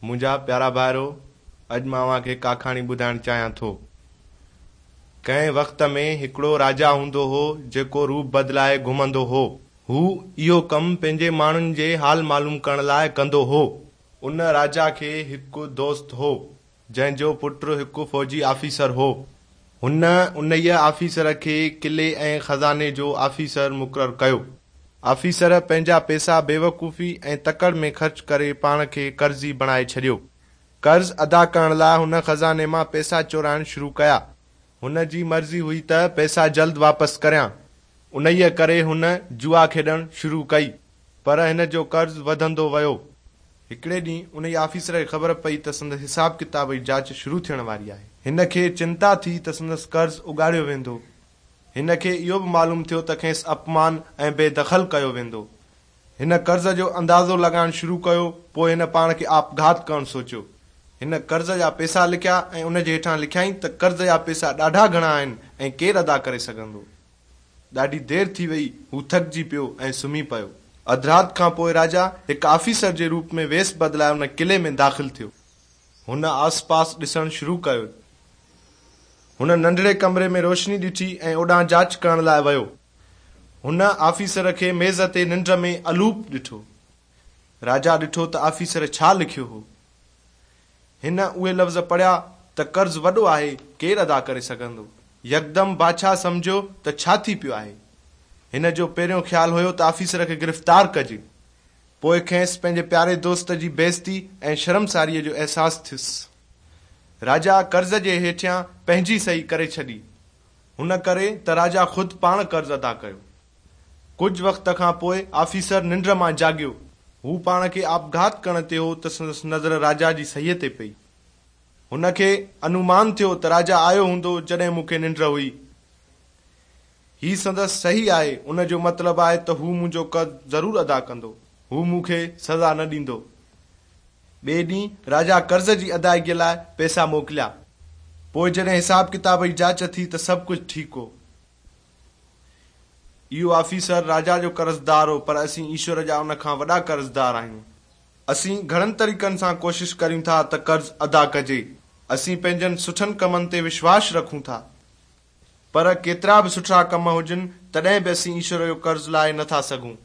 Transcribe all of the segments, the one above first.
منهنجا پيارا ڀائرو، اڄ مان اوهان کي هڪ آکاڻي ٻڌائڻ چاهيان ٿو. ڪنهن وقت ۾ هڪڙو راجا هوندو هو، جيڪو روپ بدلائي گهمندو هو. هو اهو ڪم پنهنجي ماڻهن جي حال معلوم ڪرڻ لاء ڪندو هو. ان راجا کي هڪ دوست هو، جنهن جو پٽ هڪ فوجي آفيسر هو. هن انهيء آفيسر کي قلعي ۽ خزاني جو آفيسر مقرر ڪيو. آفيسر پنهنجا پئسا بيوقوفي ۽ تڪڙ ۾ خرچ ڪري پاڻ کي قرضي بڻائي ڇڏيو. قرض ادا ڪرڻ لاء هن خزاني مان پئسا چورائڻ شروع ڪيا. هن جي مرضي هئي ته پئسا جلد واپس ڪريان. انهيء ڪري هن جوا کيڏڻ شروع ڪئي. پر هن جو قرض وڌندو ويو. هڪڙي ڏينهن انهيء آفيسر کي خبر پئي ته سندس حساب ڪتاب جي جاچ شروع ٿيڻ واري آهي. هن کي چنتا ٿي ته سندس قرض اڳاڙيو ويندو. هن کي اهو به معلوم ٿيو ته کيس اپمان ۽ بي دخل ڪيو ويندو. هن قرض جو اندازو لڳائڻ شروع ڪيو، پوء هن پاڻ کي آپگهات ڪرڻ سوچيو. هن قرض جا پئسا لکيا ۽ ان جي هيٺان لکيائين ته قرض جا پئسا ڏاڍا گهڻا آهن ۽ ڪير ادا ڪري سگهندو. ڏاڍي دير ٿي وئي، هو ٿڪجي پيو ۽ سمهي پيو. اڌ رات کان پوء راجا هڪ آفيسر جي روپ ۾ ويس بدلائي ان قلعي ۾ داخل ٿيو. هن آس پاس ڏسڻ شروع ڪيو. هن ننڍڙي ڪمري ۾ روشني ڏٺي ۽ اوڏانهن جاچ ڪرڻ لاء ويو. هن آفيسر کي ميز تي ننڊ ۾ الوپ ڏٺو. راجا ڏٺو ته آفيسر ڇا لکيو هو. هن اهي لفظ پڙهيا ته قرض وڏو آهي، ڪير ادا ڪري سگهندو؟ يڪدم بادشاهه سمجهيو ته ڇا ٿي پيو آهي. هن جو پهريون خيال هيو ته آفيسر کي گرفتار ڪجي. پوء کيس پنهنجي پياري دوست جي بيعزتي ۽ شرمساريء جو احساس ٿيس. راجا قرض جي هيٺيان پنهنجي صحيح ڪري ڇڏي. هن ڪري ته راجا خود پاڻ قرض ادا ڪيو. ڪجهه وقت کان پوء آفيسر ننڊ مان جاڳيو. هو پاڻ کي آپگهات ڪرڻ تي هو ته سندس نظر راجا جي صحيح تي پئي. هن کي انومان ٿيو ته راجا آيو هوندو جڏهن مون کي ننڊ هئي. هي سندس صحيح آهي، ان جو مطلب آهي ته هو منهنجو قرض ضرور ادا ڪندو. هو مون کي سزا نه ڏيندو. ٻئي ڏينهن راجا قرض جي ادائگيء لاء پئسا موڪليا. پوء جڏهن حساب ڪتاب جي جاچ ٿي ته سڀ ڪجهه ٺيڪ هو. اهو آفيسر راجا جو قرضدار هو، پر اسين ايشور جا ان کان وڏا قرضدار آهيون. اسين گهڻن طريقن سان ڪوشش ڪريون ٿا ته قرض ادا ڪجي. اسين پنهنجن سٺن ڪمن تي وشواس رکون ٿا. پر ڪيترا به سٺا ڪم هجن، تڏهن به اسين ايشور جو قرض لاهي نه ٿا سگهون.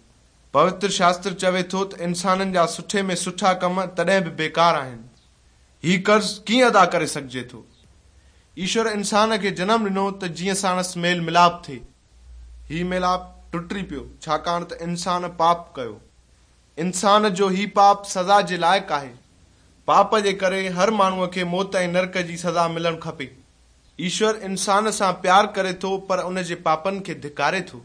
پوتر شاستر چوي ٿو ته انسانن جا سٺي ۾ سٺا ڪم تڏهن به بيڪار آهن. هي قرض ڪيئن ادا ڪري سگهجي ٿو؟ ايشور انسان کي جنم ڏنو ته جيئن ساڻس ميل ملاپ ٿئي. هي ميلاپ ٽٽي پيو، ڇاڪاڻ ته انسان پاپ ڪيو. انسان جو هي پاپ سزا جي لائق آهي. پاپ جي ڪري هر ماڻهوء کي موت ۽ نرڪ جي سزا ملڻ کپي. ايشور انسان سان پيار ڪري ٿو پر ان جي پاپن کي ڌڪاري ٿو.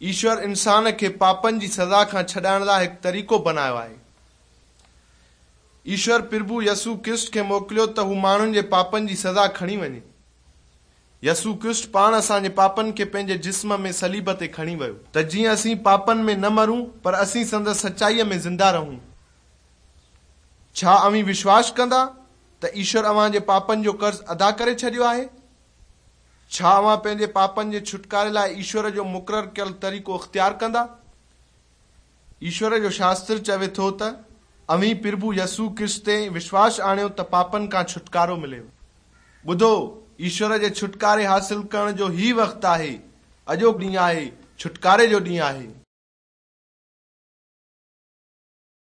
ايشور انسان کي پاپن جي سزا کان ڇڏائڻ لاء هڪ طريقو بنايو آهي. ايشور پرڀو يسوع ڪرسٽ کي موڪليو ته هو ماڻهن جي پاپن جي سزا کڻي وڃي. يسوع ڪرسٽ پاڻ اسان جي پاپن کي پنهنجي جسم ۾ صليب تي کڻي ويو. ته جيئن اسين پاپن ۾ نه مرون پر اسين سندس سچائيء ۾ زنده رهون. ڇا اوهين وشواس ڪندا ته ايشور اوهان جي پاپن جو قرض ادا ڪري ڇڏيو آهي؟ ڇا اوهان پنهنجي پاپن جي ڇوٽڪاري لاء ايشور جو مقرر ڪيل طريقو اختيار ڪندا؟ ايشور جو شاستر چوي ٿو ته اوهين پرڀو يسوع ڪرسٽ تي وشواس آڻيو ته پاپن کان ڇوٽڪارو مليو. ٻڌو، ايشور جي ڇوٽڪاري حاصل ڪرڻ جو هي وقت آهي، اڄوڪو ڏينهن آهي، ڇوٽڪاري جو ڏينهن آهي.